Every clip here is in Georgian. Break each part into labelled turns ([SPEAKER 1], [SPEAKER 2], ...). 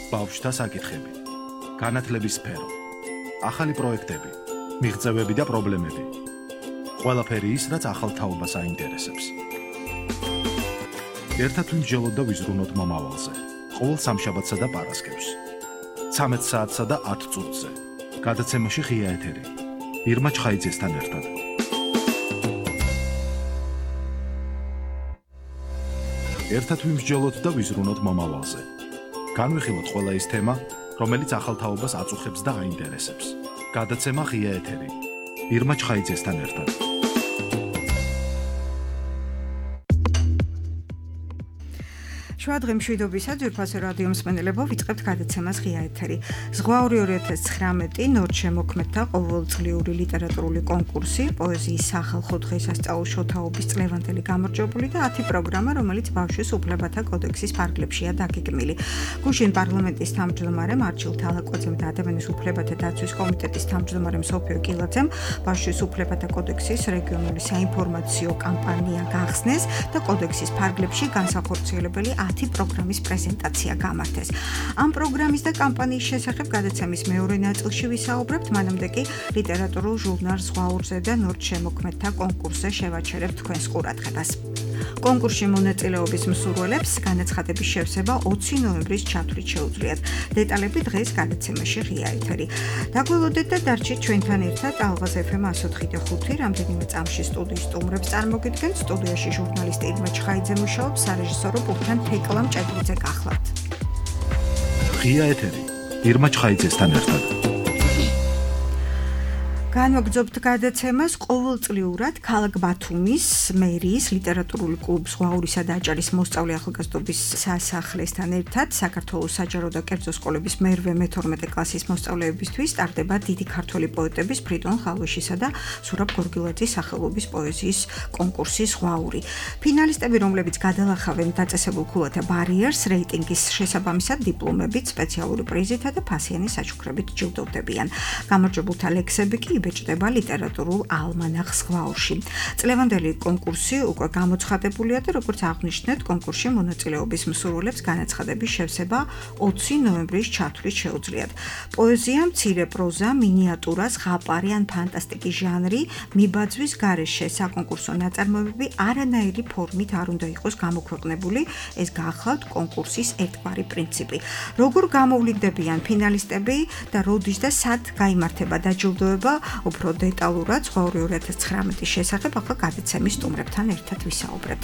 [SPEAKER 1] ბავშვთა საკითხები, განათლების სფერო, ახალი პროექტები, მიღწევები და პრობლემები. ყველაფერი ის, რაც ახალ თაობას აინტერესებს. ერთად ვიმსჯელოთ და ვიზრუნოთ მომავალზე. ყოველ სამშაბათსა და პარასკევს. 13 საათსა და 10 წუთზე. გადაცემაში ღია ეთერი. ირმა ჩხაიძესთან ერთად. ერთად ვიმსჯელოთ და ვიზრუნოთ მომავალზე. განვიხილოთ ყველა ის თემა, რომელიც ახალ თაობას აწუხებს და აინტერესებს. გადაცემა ღია ეთერი. ირმა ჩხაიძესთან ერთად.
[SPEAKER 2] შუადღე მშვიდობისა ძვირფასო რადიო მსმენელებო, ვიწყებთ გადაცემას ღია ეთერი. ზღვაური 2019 ნორჩ შემოქმედთა ყოველწლიური ლიტერატურული კონკურსი, პოეზიის სახალხო დღესასწაულ შოთაობის წლევანდელი გამარჯვებული და 10 პროგრამა, რომელიც ბავშვის უფლებათა კოდექსის ფარგლებშია დაგეგმილი. გუშინ პარლამენტის თავმჯდომარე მარჩილ თალაკვაძემ და ადამიანის უფლებათა დაცვის კომიტეტის თავმჯდომარე სოფიო კილაძემ ბავშვის უფლებათა კოდექსის რეგიონული საინფორმაციო კამპანია გახსნეს და კოდექსის ფარგლებში განსახორციელებელი 10 პროგრამის პრეზენტაცია გამართეს. ამ პროგრამის და კამპანიის შესახებ გადაცემის მეორე ნაწილში ვისაუბრებთ, მანამდე კი ლიტერატურულ ჟურნალ ზღვაურზე და ნორჩ შემოქმედთა კონკურსზე შევაჩერებთ თქვენს ყურადღებას. კონკურსში მონაწილეობის მსურველებს განაცხადების შევსება 20 ნოემბრის ჩათვლით შეუძლიათ. დეტალები დღეს გადაცემაში ღია ეთერი. დაგველოდეთ და დარჩით ჩვენთან ერთად ალღაზ FM 104.5 რამდენიმე წამში სტუდიის სტუმრებს წარმოგიდგენთ. სტუდიაში ჟურნალისტი ირმა ჩხაიძე მუშაობს, სარეჟისორო პულტთან თეკლამ ჭედლიძე გახლავთ.
[SPEAKER 1] ღია ეთერი. ირმა ჩხაიძესთან ერთად.
[SPEAKER 2] განვაგრძობთ გადაცემას ყოველწლიურად ქალაქ ბათუმის მერიის ლიტერატურული კლუბ ზღვაურისა და აჭარის მოსწავლე ახალგაზრდობის სასახლესთან ერთად საქართველოს საჯარო და კერძო სკოლების მე-12 კლასის მოსწავლეებისთვის სტარდება დიდი ქართველი პოეტების ფრიდონ ხალვიშისა და სურაბ გორგილაძის სახელობის პოეზიის კონკურსი ზღვაური. ფინალისტები, რომლებიც გადალახავენ დაწესებულ ქულათა ბარიერს, რეიტინგის შესაბამისად დიპლომებით, სპეციალური პრიზითა და ფასიანი საჩუქრებით ჯილდოვდებიან. გამარჯვებულთა ლექსები კი იბეჭდება ლიტერატურულ ალმანახ ზღვაურში. წლევანდელი კონკურსი უკვე გამოცხადებულია და როგორც აღნიშნეთ, კონკურსში მონაწილეობის მსურველებს განაცხადების შევსება 20 ნოემბრის ჩათვლით შეუძლიათ. პოეზია, მცირე პროზა, მინიატურა, ზღაპარი ან ფანტასტიკის ჟანრი, მიბაძვის გარეშე საკონკურსო ნაწარმოებები არანაირი ფორმით არ უნდა იყოს გამოქვეყნებული, ეს გახლავთ კონკურსის ერთგვარი პრინციპი. როგორ გამოვლინდებიან ფინალისტები და როდის და სად გაიმართება დაჯილდოება, უფრო დეტალურად ზღვაური 2019-ის შესახებ ახლა გადაცემის სტუმრებთან ერთად ვისაუბრეთ.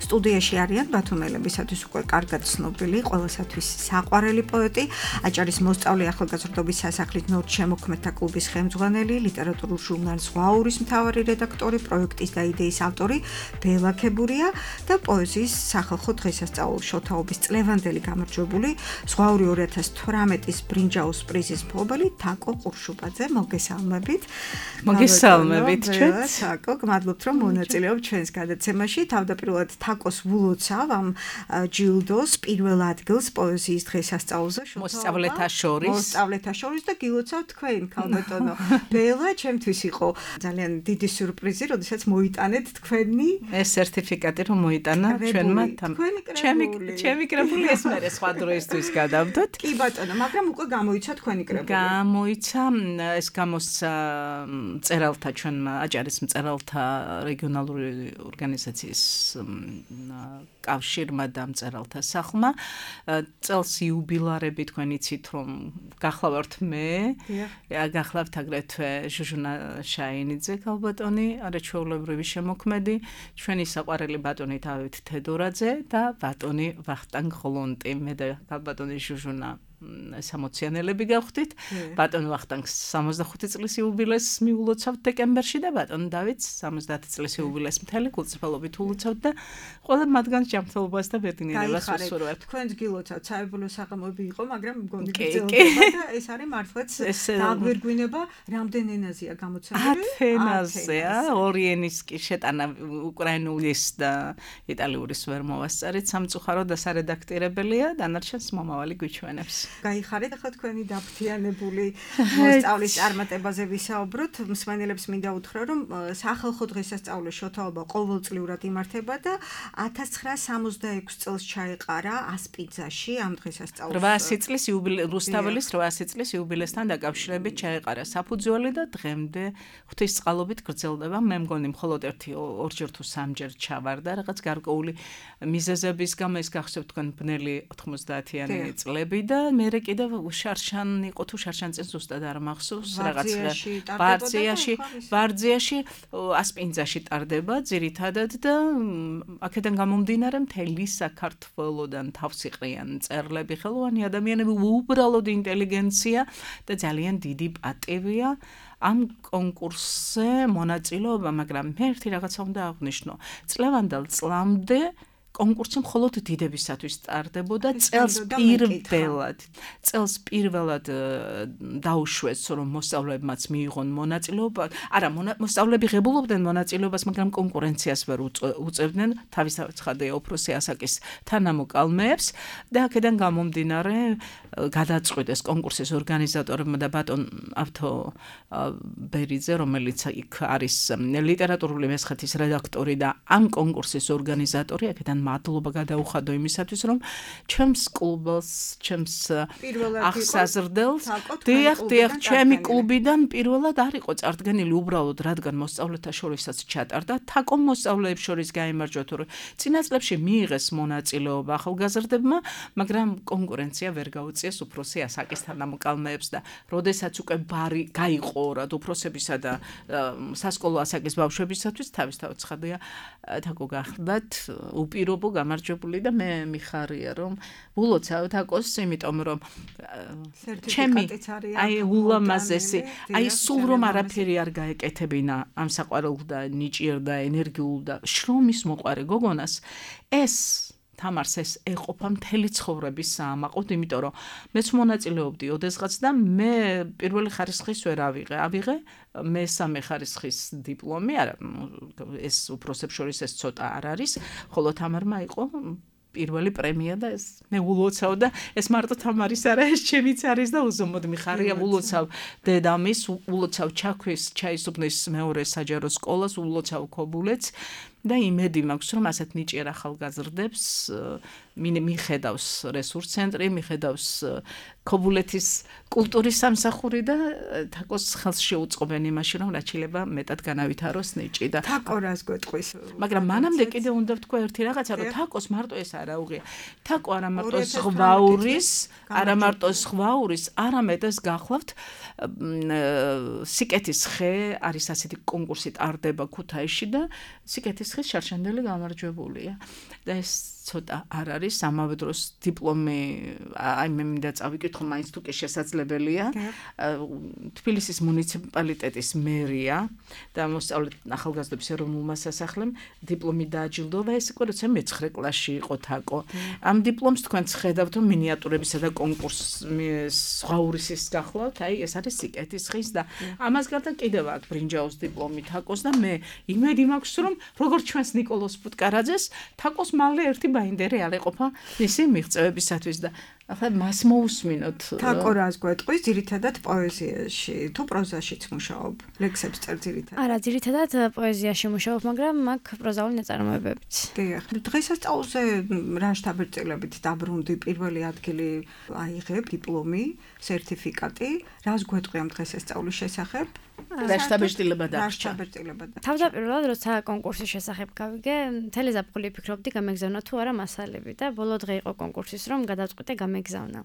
[SPEAKER 2] სტუდიაში არიან ბათუმელებისათვის უკვე კარგად ცნობილი, ყველასათვის საყვარელი პოეტი, აჭარის მოსწავლე ახალგაზრდობის სასახლის ნორჩ შემოქმედთა კლუბის ხელმძღვანელი, ლიტერატურულ ჟურნალ ზღვაურის მთავარი რედაქტორი, პროექტის და იდეის ავტორი ბელა ქებურია და პოეზიის სახალხო დღესასწაულ შოთაობის წლევანდელი გამარჯვებული, ზღვაური 2018-ის ბრინჯაოს პრიზის მფლობელი თაკო ყურშუბაძე. მოგესალმებით ჩვენს. თაკო, გმადლობთ რომ მონაწილეობთ ჩვენს გადაცემაში. თავდაპირველად თაკოს ვულოცავ ამ ჯილდოს პირველ ადგილს პოეზიის დღესასწაულზე
[SPEAKER 3] მოსწავლეთა შორის
[SPEAKER 2] და გილოცავ თქვენ, ქალბატონო. ბელა ჩემთვის იყო ძალიან დიდი სიურპრიზი, როდესაც მოიტანეთ თქვენი
[SPEAKER 3] ეს სერტიფიკატი რომ მოიტანა ჩვენმა ჩემი კრებული ეს მე სხვა დროისთვის გადავდოთ.
[SPEAKER 2] კი ბატონო, მაგრამ უკვე გამოიცა თქვენი კრებული.
[SPEAKER 3] გამოიცა ეს გამოსცა მწერალთა ჩვენმა აჭარის მწერალთა რეგიონალური ორგანიზაციის კავშირმა და მწერალთა სახლმა. წელს იუბილარები თქვენ იცით რომ გახლავართ მე, გახლავთ აგრეთვე ჟუჟუნა შაინიძე ქალბატონი, არაჩვეულებრივი შემოქმედი, ჩვენი საყვარელი ბატონი დავით თედორაძე და ბატონი ვახტანგ ღლონტი. მე და ქალბატონი ჟუჟუნა სამოციანელები გავხდით. ბატონ ვახტანგს 65 წლის იუბილეს მიულოცავთ დეკემბერში და ბატონ დავითს 70 წლის იუბილეს მთელი გულწრფელობით ულოცავთ და ყველა მათგანს ჯანმრთელობას და ბედნიერებას ვუსურვებთ.
[SPEAKER 2] თქვენს გილოცავთ საებულო საღამოები იყო, მაგრამ მგონი გძელდება და ეს არის მართლაც დაგვირგვინება. რამდენ ენაზეა გამოცემული?
[SPEAKER 3] 10 ენაზეა, ორი ენის კი შეტანა უკრაინულის და იტალიური ვერ მოვასწარით, სამწუხარო და სარედაქტირებელია, დანარჩენს მომავალი გვიჩვენებს.
[SPEAKER 2] გაიხარეთ ახლა თქვენი დაფთიანებული მოსწავლის წარმატებაზე ვისაუბროთ. მსმენელებს მინდა უთხრა, რომ სახალხო დღესასწაული შოთაობა ყოველწლიურად იმართება და 1966 წელს ჩაეყარა ასპიძაში ამ დღესასწაულს.
[SPEAKER 3] 800 წლის რუსთაველის 800 წლის იუბილესთან დაკავშირებით ჩაეყარა საფუძველი და დღემდე ღვთისწყალობით გრძელდება. მე მგონი მხოლოდ ორჯერ თუ სამჯერ ჩავარდა რაღაც გარკვეული მიზეზების გამო ეს გახსოვთ თქვენ ბნელი 90-იანი წლები და მე კიდევ შარშან იყო თუ შარშან წინ ზუსტად არ მახსოვს რაღაც ბარძიაში ასპინძაში ტარდება ძირითადად და აქედან გამომდინარე მთელი საქართველოდან თავს იყრიან მწერლები, ხელოვანი ადამიანები, უბრალოდ ინტელიგენცია და ძალიან დიდი პატივია ამ კონკურსზე მონაწილეობა, მაგრამ მე ერთი რაღაცა უნდა აღვნიშნო. წლევანდელ წლამდე კონკურსი მხოლოდ დიდებისათვის ტარდებოდა წელს პირველად დაუშვეს რომ მოსწავლეებმაც მიიღონ მონაწილეობა. არა, მოსწავლეები ღებულობდნენ მონაწილეობას, მაგრამ კონკურენციას ვერ უწევდნენ თავისთავად უფროსი ასაკის თანამოკალმეებს და აქედან გამომდინარე გადაწყვიტეს კონკურსის ორგანიზატორებმა და ბატონ ავთო ბერიძე, რომელიც იქ არის ლიტერატურული მესხეთის რედაქტორი და ამ კონკურსის ორგანიზატორი, აქედან მადლობა გადაუხადო იმისათვის, რომ ჩემს კლუბს, ჩემს აღსაზრდელს, დიახ, ჩემი კლუბიდან პირველად არ იყო წარდგენილი უბრალოდ, რადგან მოსწავლეთა შორისაც ჩატარდა, თაკომ მოსწავლეებს შორის გაიმარჯვა თუ წინა წლებში მიიღეს მონაწილეობა ახალგაზრდებმა, მაგრამ კონკურენცია ვერ გაუწიეს უფროსი ასაკის თანამოკალმეებს და როდესაც უკვე ბარი გაიყო რად უფროსებისა და სასკოლო ასაკის ბავშვებისათვის, თავისთავად ცხადია, თაკო გახლდათ უპირობო გამარჯვებული და მე მიხარია რომ ულოცავ თაკოს, იმიტომ რომ ჩემი ულამაზესი, სულ რომ არაფერი არ გაეკეთებინა ამ საყვარელ და ნიჭიერ და ენერგიულ და შრომის მოყვარე გოგონას, ეს თამარს ეს ეყოფა მთელი ცხოვრების საამაყოდ, იმიტომ რომ მეც მონაწილეობდი ოდესღაც და მე პირველი ხარისხის ვერ ავიღე, მესამე ხარისხის დიპლომი, არა, ეს უფროსებს შორის ეს ცოტა არ არის, ხოლო თამარმა იყო პირველი პრემია და ეს მე ულოცავ და ეს მარტო თამარის არა, ეს ჩემიც არის და უზომოდ მიხარია, ულოცავ დედამის, ულოცავ ჩაქვის ჩაისუბნის მეორე საჯარო სკოლას, ულოცავ ქობულეთს და იმედი მაქვს, რომ ასეთ ნიჭიერ ახალგაზრდებს მიხედავს რესურს ცენტრი, მიხედავს ქობულეთის კულტურის სამსახური და თაკოს ხელს შეუწყობენ იმაში, რომ რაც შეიძლება მეტად განავითაროს ნიჭი და
[SPEAKER 2] თაკო რას გვეტყვის.
[SPEAKER 3] მაგრამ მანამდე კიდე უნდა ვთქვა ერთი რაღაცა, რომ თაკოს მარტო ეს არა უღია. თაკო არა მარტო ზღვაურის, არამედ ეს გახლავთ სიკეთის ხე არის ასეთი კონკურსი ტარდება ქუთაისში და სიკეთის ხის შარშანდელი გამარჯვებულია და ეს ცოტა არ არის ამავე დროს დიპლომი, მე მინდა წავიკითხო, მაინც თუ კი შესაძლებელია, თბილისის მუნიციპალიტეტის მერია და ახალგაზრდობის ეროვნულმა სასახლემ დიპლომი დააჯილდოვა, ეს იყო როცა მე-9 კლასში იყო თაკო. ამ დიპლომს თქვენც ხედავთ მინიატურებისა და კონკურსის ზღვაურისის გახლავთ, ეს არის სიკეთის ხის და ამას გარდა კიდევ აქვს ბრინჯაოს დიპლომი თაკოს და მე იმედი მაქვს, რომ როგორც ჩვენს ნიკოლოზ ფუტკარაძეს, თაკოს მალე ერთი ბაინდერი არ ეყოფა მისი მიღწევებისათვის და ახლა მას მოусმინოთ.
[SPEAKER 2] თაკო რას გვეტყვის ძირითადად პოეზიაში თუ პროზაშიც მუშაობ? ლექსებს წერ ძირითადად?
[SPEAKER 4] არა, ძირითადად პოეზიაში მუშაობ, მაგრამ მაქვს პროზაული ნაწარმოებებიც.
[SPEAKER 2] დიახ. დღესასწაულზე რა შთაბეჭდილებით დაბრუნდი, პირველი ადგილი აიღებ, დიპლომი, სერტიფიკატი, რას გვეტყვი ამ დღესასწაულის შესახებ?
[SPEAKER 3] რა შთაბეჭდილება
[SPEAKER 2] დარჩა?
[SPEAKER 4] თავდაპირველად როცა კონკურსის შესახებ გავიგე, მთელი ზაფხული ფიქრობდი გამეგზავნა თუ არა მასალები და ბოლო დღე იყო კონკურსის, რომ გადავწყვიტე გამეგზავნა.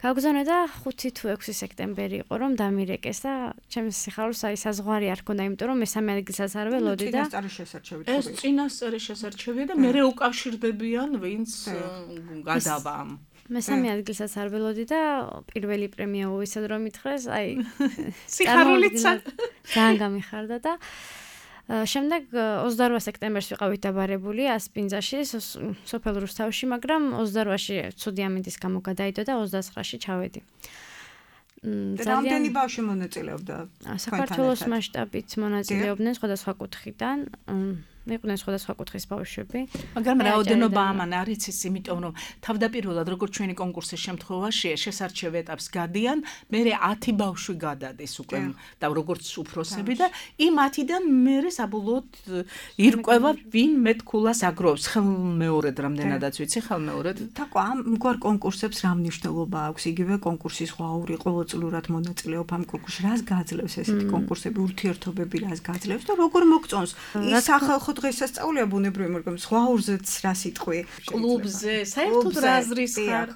[SPEAKER 4] გავგზავნე და 5 თუ 6 სექტემბერი იყო, რომ დამირეკეს და ჩემს სიხარულს საზღვარი არ ჰქონდა, იმიტომ რომ მესამე ადგილსაც არ ველოდი და
[SPEAKER 3] ეს წინასწარი შესარჩევია და მე უკავშირდებიან ვინც გადავა.
[SPEAKER 4] მესამე ადგილსაც არ ველოდი და პირველი პრემია უვისად რომ მითხრეს,
[SPEAKER 3] სიხარულიცა
[SPEAKER 4] ძალიან გამიხარდა და შემდეგ 28 სექტემბერს ვიყავით დაბარებული ასპინძაში, სოფელ რუსთავში, მაგრამ 28-ში ცუდი ამინდის გამო გადაიდო და 29-ში ჩავედი.
[SPEAKER 2] რამდენი ბავშვი მონაწილეობდა?
[SPEAKER 4] საქართველოს მასშტაბით მონაწილეობდნენ სხვადასხვა კუთხიდან. იყვნენ სხვადასხვა კუთხის ბავშვები.
[SPEAKER 3] მაგრამ რაოდენობა ამან არის ის, იმიტომ რომ თავდაპირველად როგორც ჩვენი კონკურსის შემთხვევაში შესარჩევ ეტაპს გადიან, მერე 10 ბავშვი გადადის უკვე და როგორც უფროსები და იმ 10-დან მერე საბოლოოდ ირკვევა ვინ მეტქულას აგროვს. ხელმეორედ რამდენადაც ვიცი, ხელმეორედ.
[SPEAKER 2] თაკო ამ მგვარ კონკურსებს რა მნიშვნელობა აქვს? იგივე კონკურსის ღვაური ყოველწლიურად მონაწილეობ ამ კონკურსში. რას გაძლევს ესეთი კონკურსები, ურთიერთობები რას გაძლევს და როგორ მოგწონს? ის სახალხო დღესასწაულია ბუნებრივი, მაგრამ ღვაურზეც რა სიტყვი?
[SPEAKER 3] კლუბზე, საერთოდ რა აზრის ხარ?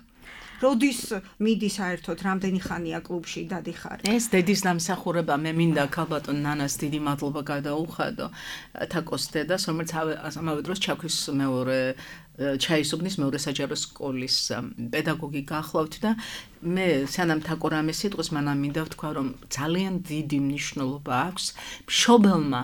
[SPEAKER 2] როდის მიდი საერთოდ, რამდენი ხანია კლუბში დადიხარ?
[SPEAKER 3] ეს დედის დამსახურება, მე მინდა ქალბატონ ნანას დიდი მადლობა გადაუხადო თაკოს დედას, რომელიც ამავე დროს ჩაქვის მეორე ჩაისუბნის მეორე საჯარო სკოლის პედაგოგი გახლავთ და მე სანამ თაკო რამე სიტყვის მანამ მინდა ვთქვა, რომ ძალიან დიდი მნიშვნელობა აქვს მშობელმა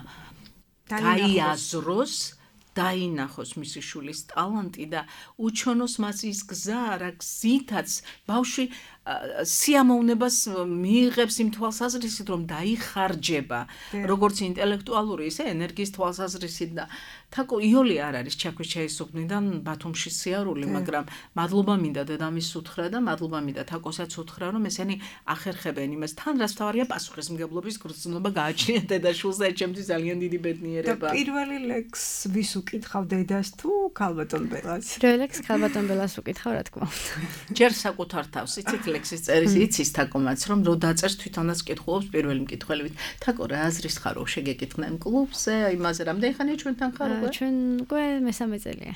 [SPEAKER 3] გაიაზროს დაინახოს მისი შულის ტალანტი და უჩვენოს მას ის გზა, რა გზითაც ბავშვი სიამოვნებას მიიღებს იმ თვალსაზრისით, რომ დაიხარჯება, როგორც ინტელექტუალური, ისე ენერგიის თვალსაზრისით და თაკო იოლი არ არის ჩაქვის ჩაისუბნიდან ბათუმში სიარული, მაგრამ მადლობა მინდა დედამისს უთხრა და მადლობა მინდა თაკოსაც უთხრა, რომ ესენი ახერხებენ იმას. თან რაც თავარია პასუხისმგებლობის გრძნობა გააჩნია დედაშვილს და ჩემთვის ძალიან დიდი ბედნიერება.
[SPEAKER 2] და პირველი ლექს ვის უკითხავ, დედას თუ ქალბატონ ბელას?
[SPEAKER 4] პირველი ლექს ქალბატონ ბელას უკითხავ, რა თქმა უნდა.
[SPEAKER 3] ჯერ საკუთარ თავს იცით ლექსის წერის იცის თაკომაც, რომ რო დაწერს თვითონაც კითხულობს პირველი მკითხველებით. თაკო რა აზრის ხარ, რო შეგეკითხნა იმ კლუბზე, იმაზე რამდენი ხანია ჩვენთან ხარ?
[SPEAKER 4] ჩვენ უკვე მესამე წელია.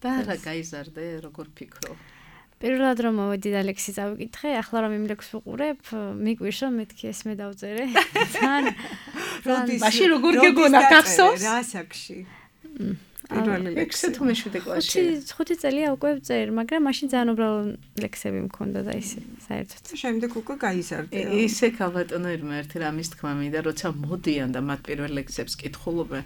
[SPEAKER 3] და რა გაიზარდე, როგორ ფიქრო?
[SPEAKER 4] პირველად რომ მოვედი და ლექსი წავიკითხე, ახლა რომ იმ ლექსს ვუყურებ, მიგვირს რომ მეთქი ეს მე დავწერე.
[SPEAKER 3] მაშინ როგორ გეგონა გახსოვს?
[SPEAKER 2] რა საკში? პირველი ლექსი
[SPEAKER 3] თუ მეშვიდე კლასში.
[SPEAKER 4] 5 წელია უკვე ვწერ, მაგრამ მაშინ ძალიან უბრალო ლექსები მქონდა და ისე საერთოდ.
[SPEAKER 2] შემდეგ უკვე გაიზარდე.
[SPEAKER 3] ისე ქალბატონო ირმა ერთი რამის თქმა მინდა, როცა მოდიან და მათ პირველ ლექსებს კითხულობენ.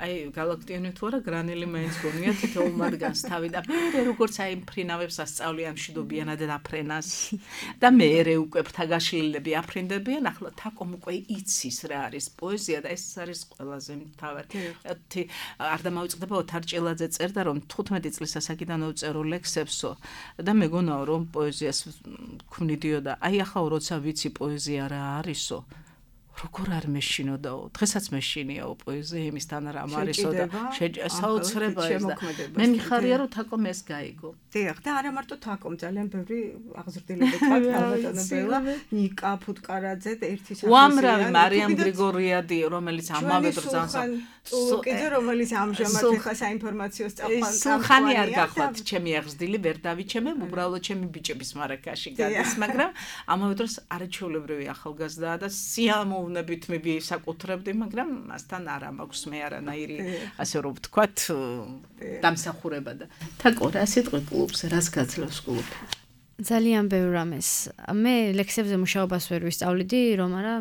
[SPEAKER 3] აი გალაქტიონი თუ არა გრანელი მაინც გონია თითოეულ მათგანს თავი და მე როგორც აი მფრინავებს ასწავლიან მშვიდობიანად დაფრენას და მე უკვე ფრთაგაშლილები აფრინდებიან, ახლა თაკომ უკვე იცის რა არის პოეზია და ეს არის ყველაზე მთავარი. არ დამავიწყდება ოთარ ჭილაძე წერდა რომ 15 წლის ასაკიდან ვწერო ლექსებსო და მეგონაო რომ პოეზიას ქმნიდიო და აი ახლა როცა ვიცი პოეზია რა არისო როგორ არ მეშინოდაო, დღესაც მეშინიაო პოეზია იმისთან რამ არისო და საოცრებაა და მე მიხარია რომ თაკომ ეს გაიგო.
[SPEAKER 2] დიახ, და არა მარტო თაკომ, ძალიან ბევრი აღზრდილები ყავთ ქალბატონო ბელა, ნიკა ფუტკარაძე და ერთი სახელი.
[SPEAKER 3] უამრავი მარიამ გრიგორიადი, რომელიც ამავე დროს
[SPEAKER 2] კიდე რომელიც ამჟამად ხა საინფორმაციო სწავლან
[SPEAKER 3] ხანი არ გახლავთ ჩემი აღზრდილი ვერ დავიჩემე, უბრალოდ ჩემი ბიჭების მარაკაში გადის, მაგრამ ამავე დროს არაჩვეულებრივი ახალგაზრდაა და სიამოვნებით მე ვისაკუთრებდი, მაგრამ მასთან არ მაქვს მე არანაირი ასე რომ ვთქვათ დამსახურება და თაკო რა სიტყვი კლუბზე რას გაძლევს კლუბი?
[SPEAKER 4] ძალიან ბევრ რამეს. მე ლექსებზე მუშაობას ვერ ვისწავლიდი, რომ არა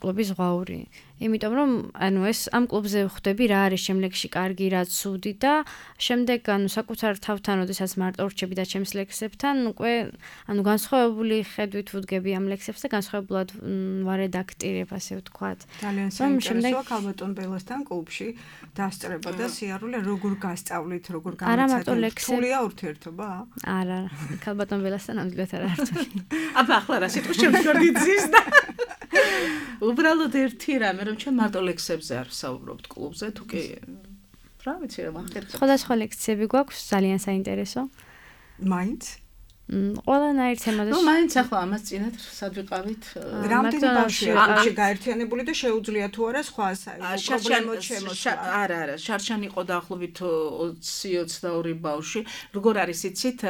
[SPEAKER 4] კლუბის ღვაური. იმიტომ რომ ანუ ეს ამ კლუბზე ვხვდები რა არის ჩემ ლექსში კარგი, რა ცუდი და შემდეგ ანუ საკუთარ თავთან ოდესაც მარტო ვრჩები და ჩემს ლექსებთან უკვე ანუ განსხვავებული ხედვით ვუდგები ამ ლექსებს და განსხვავებულად ვარედაქტირებ ასე ვთქვათ.
[SPEAKER 2] ძალიან საინტერესოა ქალბატონ ბელასთან კლუბში დასწრება და სიარული როგორ გასწავლით, როგორ გამოცადეთ. რთულია ურთიერთობა?
[SPEAKER 4] არა, ქალბატონ ბელასთან ამდგრად არ რთული.
[SPEAKER 3] აბა ახლა რა სიტყვა შემდგარდიცის და უბრალოდ ერთი რამე რომ ჩვენ მარტო ლექსებზე არ ვსაუბრობთ კლუბზე, თუ კი რა ვიცი რა ვახერხებთ.
[SPEAKER 4] სხვადასხვა ლექციები გვაქვს ძალიან საინტერესო.
[SPEAKER 2] მაინც
[SPEAKER 4] ყველანაირ თემაზე.
[SPEAKER 3] ნუ მაინც ახლა ამას წინათ სად ვიყავით?
[SPEAKER 2] რამდენი ბავშვია კლუბში გაერთიანებული და შეუძლია თუ არა სხვა პრობლემות შემოსვა?
[SPEAKER 3] არა, შარშან იყო დაახლოებით 20-22 ბავშვი. როგორ არის იცით?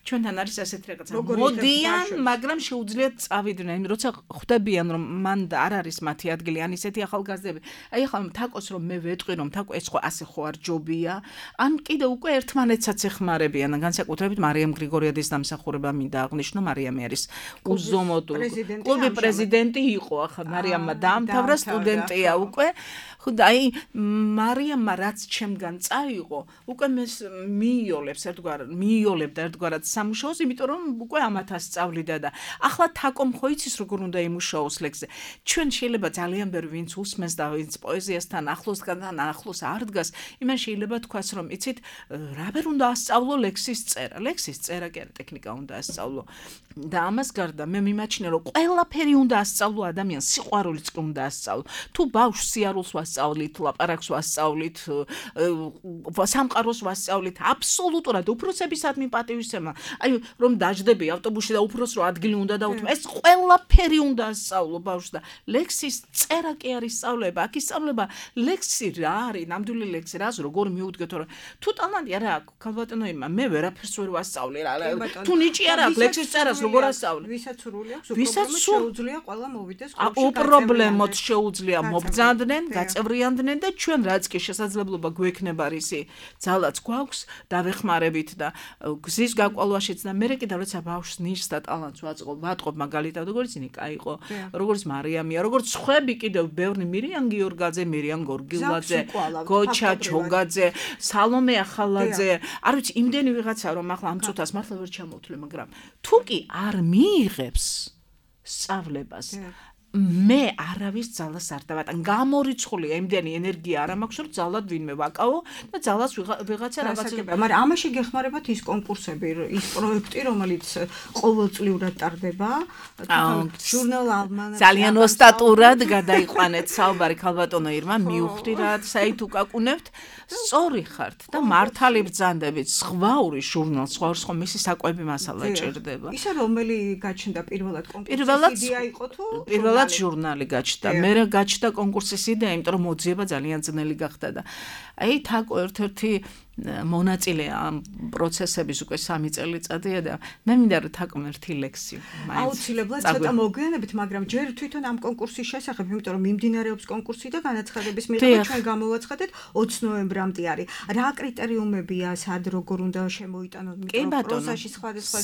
[SPEAKER 3] ჩვენთან არის ასეთი რაღაცა. მოდიან, მაგრამ შეუძლიათ წავიდნენ. იმ როცა ხვდებიან რომ მან არ არის მათი ადგილი, ან ისეთი ახალგაზრდები. აი ახლა თაკოს რომ მე ვეტყვი რომ თაკო ეს ხო ასე ხო არ ჯობია, ან კიდე უკვე ერთმანეთსაც ეხმარებიან, განსაკუთრებით მარიამ გრიგორიადის დამსახურება დამსახურება მინდა აღნიშნო მარიამი არის უზომოდ კლუბი პრეზიდენტი იყო ახლა მარიამმა დაამთავრა სტუდენტია უკვე ხოდა აი მარიამმა რაც ჩემგან წაიღო უკვე მიიოლებდა ერთგვარად სამუშაოს იმიტომ რომ უკვე ამათ ასწავლიდა და ახლა თაკომ ხო იცის როგორ უნდა იმუშაოს ლექსზე ჩვენ შეიძლება ძალიან ბევრი ვინც უსმენს და ვინც პოეზიასთან ახლოს არ დგას იმან შეიძლება თქვას რომ იცით რაბერ უნდა ასწავლო ლექსის წერა კი არა ტექნიკა უნდა ასწავლო და ამას გარდა მე მიმაჩნია რომ ყველაფერი უნდა ასწავლო ადამიანს სიყვარულიც უნდა ასწავლო თუ ბავშვს სიარულს ვასწავლით ლაპარაკს ვასწავლით სამყაროს ვასწავლით აბსოლუტურად უფროსებისადმი პატივისცემა აი რომ დაждები ავტობუსში და უფროს რო ადგილი უნდა დაუთმო ეს ყველაფერი უნდა ასწავლო ბავშვს და ლექსის წერა კი არის სწავლება აქ ისწავლება ლექსი რა არის ნამდვილი ლექსი რას როგორ მიუდგეთ რომ თუ ტალანტი არა აქვს ქალბატონოებმა მე ვერაფერს ვერ ვასწავლე რა თუ ნიჭი არა აქვს ლექსის წერას როგორ ასწავლე
[SPEAKER 2] ვისაც სრული აქვს უპრობლემოდ შეუძლია ყველა მოვიდეს
[SPEAKER 3] უპრობლემოდ შეუძლია მობრძანდნენ გაწევრიანდნენ და ჩვენ რაც კი შესაძლებლობა გვექნება რისი ძალაც გვაქვს დავეხმარებით და გზის გაკვალვაშიც და მე კიდევ როცა ბავშვს ნიშს და ტალანტს ვატყობ მაგალითად როგორც ნიკა იყო როგორც მარიამია როგორც ხვები კიდევ ბევრი მირიან გიორგაძე მირიან გორგილაძე გოჩა ჩოგაძე სალომე ახალაძე არ ვიცი იმდენი ვიღაცა რომ ახლა ამ წუთას მართლა ვერ ჩამოვთვლი მაგრამ თუ კი არ მიიღებს სწავლებას მე არავის ძალას არ დავატან გამორიცხულია იმდენი ენერგია არ მაქვს რომ ძალად ვინმე ვაკავო და ძალას ვიღაცა რაღაცა
[SPEAKER 2] მაგრამ ამაში გეხმარებათ ის კონკურსები ის პროექტი რომელიც ყოველწლიურად ტარდება ჟურნალ ალმანახი
[SPEAKER 3] ძალიან ოსტატურად გადაიყვანეთ საუბარი ქალბატონო ირმა მიუხვდი რა საით უკაკუნებთ სწორი ხართ და მართალი ბრძანდებით ზღვაური ჟურნალს ზღვაურს ხომ მისი საკვები მასალა ჭირდება
[SPEAKER 2] ისა რომელი გაჩნდა პირველად კონკურსის იდეა იყო თუ
[SPEAKER 3] პირველად ჟურნალი გაჩნდა მე რა გაჩნდა კონკურსის იდეა იმიტომ რომ მოძიება ძალიან ძნელი გახდა და აი თაკო ერთ-ერთი მონაწილეა ამ პროცესების უკვე 3 წელიწადია და მე მინდა რომ თაკომ ერთი ლექსი
[SPEAKER 2] აუცილებლად ცოტა მოგვიანებით მაგრამ ჯერ თვითონ ამ კონკურსის შესახებ იმიტომ რომ მიმდინარეობს კონკურსი და განაცხადების მიღება ჩვენ გამოვაცხადეთ 20 ნოემბრამდე არის რა კრიტერიუმებია სად როგორ უნდა შემოიტანოთ
[SPEAKER 3] იმიტომ რომ პროზაში
[SPEAKER 2] სხვადასხვა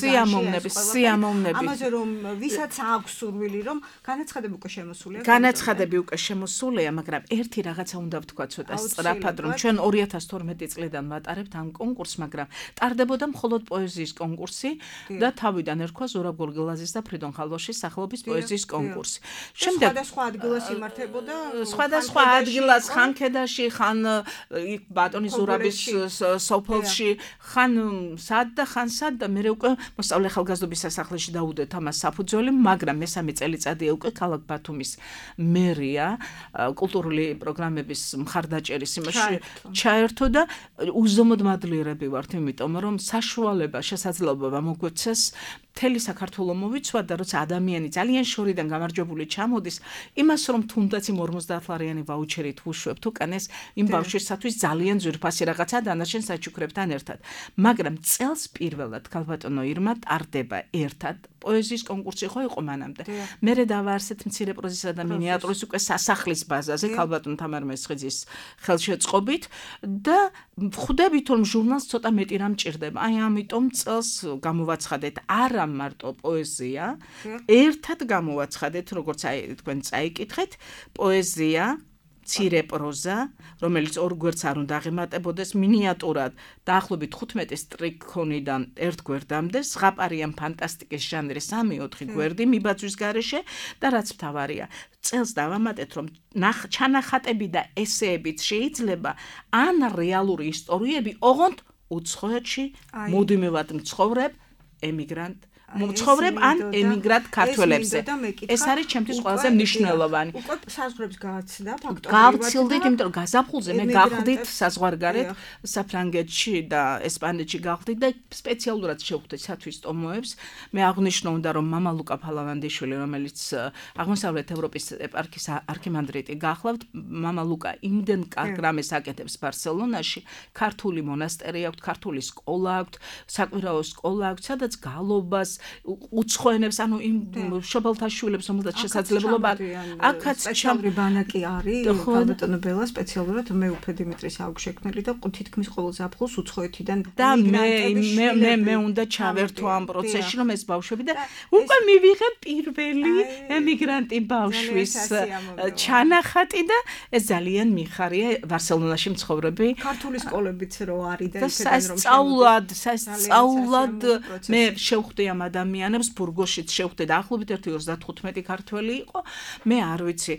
[SPEAKER 3] სიამოვნები
[SPEAKER 2] ამაზე რომ ვისაც აქვს სურვილი რომ განაცხადები უკვე შემოსულია
[SPEAKER 3] მაგრამ ერთი რაღაცა უნდა ვთქვა ცოტა სწრაფად რომ ჩვენ 2012 წლიდან ვატარებთ ამ კონკურსს, მაგრამ ტარდებოდა მხოლოდ პოეზიის კონკურსი და თავიდან ერქვა ზურაბ გორგილაძის და ფრიდონ ხალვაშის სახელობის პოეზიის კონკურსი.
[SPEAKER 2] შემდეგ სხვადასხვა ადგილას იმართებოდა,
[SPEAKER 3] სხვადასხვა ადგილას ხანქედაში, ხან ბატონი ზურაბის სოფელში, ხან სად და მე უკვე მოსწავლე ახალგაზრდობის სასახლეში დაუდეთ ამას საფუძველი, მაგრამ მესამე წელიწადია უკვე ქალაქ ბათუმის მერია კულტურული პროგრამების მხარდაჭერის იმაში ჩაერთო და უზომოდ მადლიერები ვართ იმიტომ რომ საშუალება შესაძლებლობა მოგვეცეს მთელი საქართველო მოვიცვა და როცა ადამიანი ძალიან შორიდან გამარჯვებული ჩამოდის იმას რომ თუნდაც იმ 50 ლარიანი ვაუჩერით უშვებთ უკანეს იმ ბავშვისათვის ძალიან ძვირფასი რაღაცა დანარჩენ საჩუქრებთან ერთად მაგრამ წელს პირველად ქალბატონო ირმა ტარდება ერთად პოეზიის კონკურსი ხო იყო მანამდე მერე დავაარსეთ მცირე პროზისა და მინიატურის უკვე სასახლის ბაზაზე ქალბატონ თამარ მესხიძის ხელშეწყობით და ხვდებით რომ ჟურნალს ცოტა მეტი რამ ჭირდება აი ამიტომ წელს გამოვაცხადეთ არა მარტო პოეზია ერთად გამოვაცხადეთ როგორც აი თქვენ წაიკითხეთ პოეზია მცირე პროზა, რომელიც ორ გვერდს არ უნდა აღემატებოდეს მინიატურად, დაახლოებით 15 სტრიქონიდან ერთ გვერდამდე, ზღაპარიან ფანტასტიკის ჟანრის 3-4 გვერდი მიბაძვის გარეშე და რაც მთავარია, წელს დავამატეთ, რომ ჩანახატები და ესეებიც შეიძლება ან რეალური ისტორიები, ოღონდ უცხოეთში მუდმივად მცხოვრებ ემიგრანტ მცხოვრებ ან ემიგრანტ ქართველებზე. ეს არის ჩემთვის ყველაზე მნიშვნელოვანი.
[SPEAKER 2] უკვე საზღვრებს გააცდა ფაქტობრივად.
[SPEAKER 3] გავცილდით, იმიტომ რომ გაზაფხულზე მე გავხდით საზღვარგარეთ საფრანგეთში და ესპანეთში გავხდით და სპეციალურად შევხვდით სათვის ტომოებს. მე აღნიშნო უნდა რომ მამა ლუკა ფალავანდიშვილი, რომელიც აღმოსავლეთ ევროპის ეპარქიის არქიმანდრიტი გახლავთ, მამა ლუკა იმდენ კარგ რამეს აკეთებს ბარსელონაში, ქართული მონასტერი აქვს, ქართული სკოლა აქვს, საკვირაო სკოლა აქვს, სადაც გალობას უცხოენებს, ანუ იმ მშობელთა შვილებს, რომელთაც შესაძლებლობა
[SPEAKER 2] აქაც სპეციალური ბანაკი არის, ქალბატონო ბელა სპეციალურად მეუფე დიმიტრის აქვს შექმნილი და თითქმის ყოველ ზაფხულს უცხოეთიდან
[SPEAKER 3] და მე უნდა ჩავერთო ამ პროცესში, რომ ეს ბავშვები და უკვე მივიღე პირველი ემიგრანტი ბავშვის ჩანახატი და ეს ძალიან მიხარია ბარსელონაში მცხოვრები
[SPEAKER 2] ქართული სკოლებიც რო არის და
[SPEAKER 3] სასწაულად მე შევხვდი ამ ადამიანებს ბურგოსშიც შევხვდი და ახლობით 1.35 ქართველი იყო მე არ ვიცი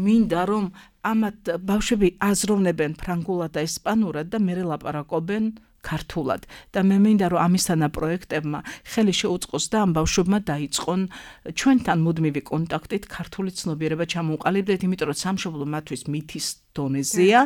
[SPEAKER 3] მინდა რომ ამათ ბავშვები აზროვნებენ ფრანგულად და ესპანურად და მე ლაპარაკობენ ქართულად და მე მინდა რომ ამისთანა პროექტებმა ხელი შეუწყოს და ამ ბავშვებმა დაიწყონ ჩვენთან მუდმივი კონტაქტით ქართული ცნობიერება ჩამოუყალიბდეთ, იმიტომ რომ სამშობლო მათთვის მითის დონეზეა.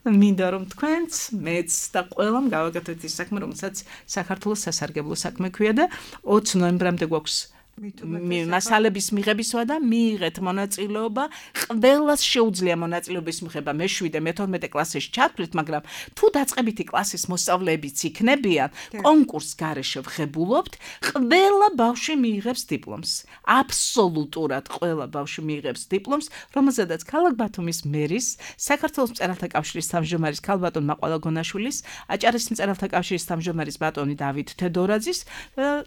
[SPEAKER 3] მინდა რომ თქვენც, მეც და ყველამ გავაკეთოთ ის საქმე, რომელსაც საქართველოს სასარგებლო საქმე ქვია და 20 ნოემბრამდე გვაქვს მასალების მიღებისვა და მიიღეთ მონაწილეობა. ყველას შეუძლია მონაწილეობის მიღება. მე-7, მე-12 კლასში ჩათვლით, მაგრამ თუ დაწყებითი კლასის მოსწავლეებიც იქნებიან, კონკურს გარეშე ვღებულობთ, ყველა ბავშვი მიიღებს დიპლომს. აბსოლუტურად ყველა ბავშვი მიიღებს დიპლომს, რომელზედაც ქალაქ ბათუმის მერის, საქართველოს მწერალთა კავშირის თავმჯდომარის ქალბატონ მაყვალა გონაშვილის, აჭარის მწერალთა კავშირის თავმჯდომარის ბატონი დავით თედორაძის,